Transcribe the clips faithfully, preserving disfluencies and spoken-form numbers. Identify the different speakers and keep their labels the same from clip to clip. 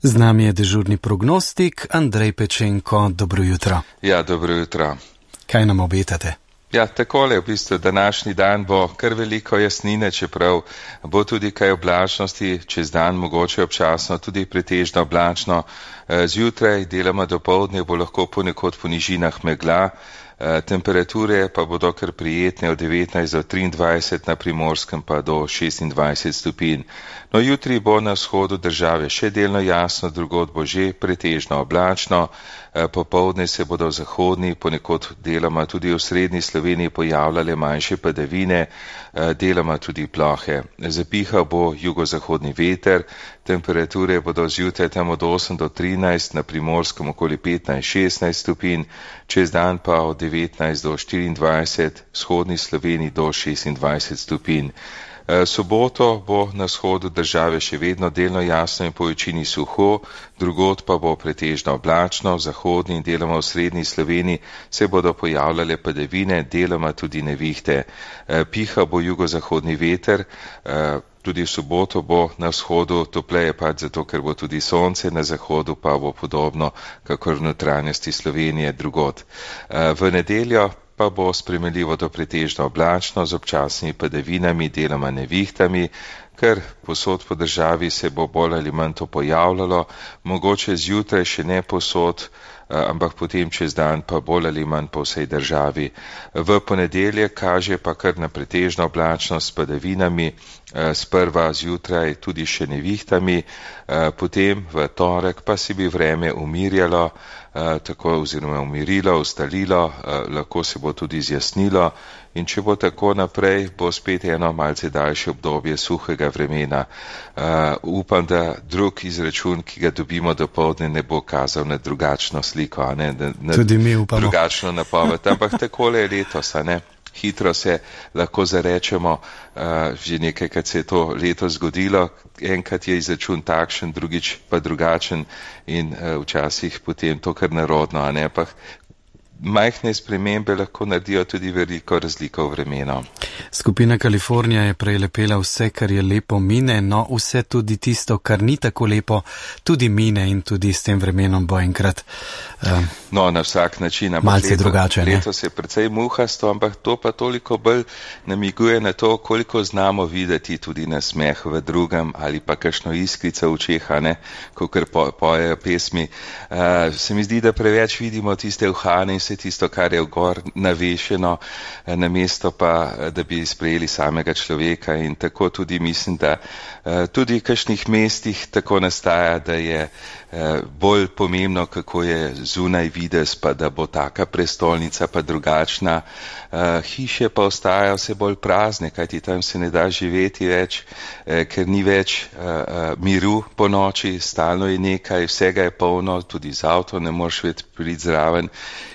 Speaker 1: Z nami je dežurni prognostik Andrej Pečenko. Dobro jutro.
Speaker 2: Ja, dobro jutro.
Speaker 1: Kaj nam obetate?
Speaker 2: Ja, takole, v bistvu današnji dan bo kar veliko jasnine, čeprav bo tudi kaj oblačnosti, čez dan mogoče občasno tudi pretežno oblačno. Zjutraj, deloma dopoldne, bo lahko ponekod po nižinah megla. Temperature pa bodo kar prijetne od devetnajst do triindvajset, na Primorskem pa do šestindvajset stopinj. No, jutri bo na vzhodu države še delno jasno, drugod bo že pretežno oblačno. Popoldne se bodo v zahodni, ponekod deloma tudi v srednji Sloveniji pojavljale manjše padavine, deloma tudi plohe. Zapihal bo jugozahodni veter, temperature bodo zjutraj tam od osem do trinajst, na Primorskem okoli petnajst šestnajst stopinj, čez dan pa od devetnajst do štiriindvajset, v vzhodni Sloveniji do šestindvajset stopinj. Soboto bo na vzhodu države še vedno delno jasno in po večini suho, drugod pa bo pretežno oblačno, v zahodni in deloma v srednji Sloveniji se bodo pojavljale padavine, deloma tudi nevihte. Piha bo jugozahodni veter, tudi v soboto bo na vzhodu topleje pač zato, ker bo tudi sonce, na zahodu pa bo podobno, kakor v notranjosti Slovenije drugod. V nedeljo pa bo spremenljivo do pretežno oblačno z občasnimi padavinami, deloma nevihtami, ker posod po državi se bo bolj ali manj to pojavljalo, mogoče zjutraj še ne posod, ampak potem čez dan pa bolj ali manj po vsej državi. V ponedeljek kaže pa kar na pretežno oblačnost s padavinami, sprva zjutraj tudi še nevihtami, potem v torek pa si bi vreme umirjalo, tako oziroma umirilo, ustalilo, lahko se bo tudi zjasnilo in če bo tako naprej, bo spet eno malce daljše obdobje suhega vremena. Upam, da drug izračun, ki ga dobimo dopoldne, ne bo kazal na drugačno sliko, a ne, na
Speaker 1: tudi mi upamo.
Speaker 2: Drugačno napoved, ampak takole je letos, a ne. Hitro se lahko zarečemo, uh, že nekajkrat se je to leto zgodilo, enkrat je izračun takšen, drugič pa drugačen in uh, včasih potem to kar nerodno, a ne, pa majhne spremembe lahko naredijo tudi veliko razliko v vremenu.
Speaker 1: Skupina Kalifornija je prelepela vse, kar je lepo mine, no vse tudi tisto, kar ni tako lepo, tudi mine in tudi s tem vremenom bo enkrat um,
Speaker 2: no, na vsak način,
Speaker 1: malce leto, drugače.
Speaker 2: Leto se je precej muhasto, ampak to pa toliko bolj namiguje na to, koliko znamo videti tudi na smeh v drugem ali pa kakšno iskrico v očeh, ne, kakor po, pojejo pesmi. Uh, se mi zdi, da preveč vidimo tiste uhane in vse tisto, kar je vgor navešeno, namesto pa, da bi sprejeli samega človeka in tako tudi mislim, da tudi v kakšnih mestih tako nastaja, da je bolj pomembno, kako je zunaj videz, pa da bo taka prestolnica pa drugačna. Hiše pa ostajajo vse bolj prazne, kajti tam se ne da živeti več, ker ni več miru po noči, stalno je nekaj, vsega je polno, z avtom ne moreš več priti zraven.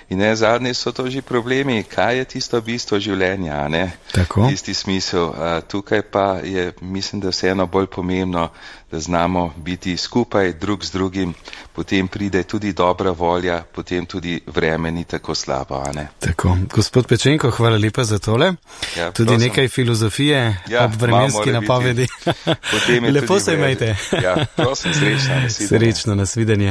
Speaker 2: In ne, zadnje so to že problemi, kaj je tisto bistvo življenja, ne?
Speaker 1: Tako.
Speaker 2: Tisti smisel. Tukaj pa je, mislim, da vseeno bolj pomembno, da znamo biti skupaj drug z drugim, potem pride tudi dobra volja, potem tudi vreme ni tako slabo, a ne?
Speaker 1: Tako. Gospod Pečenko, hvala lepa za tole.
Speaker 2: Ja,
Speaker 1: tudi
Speaker 2: prosim.
Speaker 1: Nekaj filozofije
Speaker 2: ja,
Speaker 1: ob vremenski napovedi. Lepo se imejte.
Speaker 2: Ja, prosim, srečno.
Speaker 1: Srečno, nasvidenje.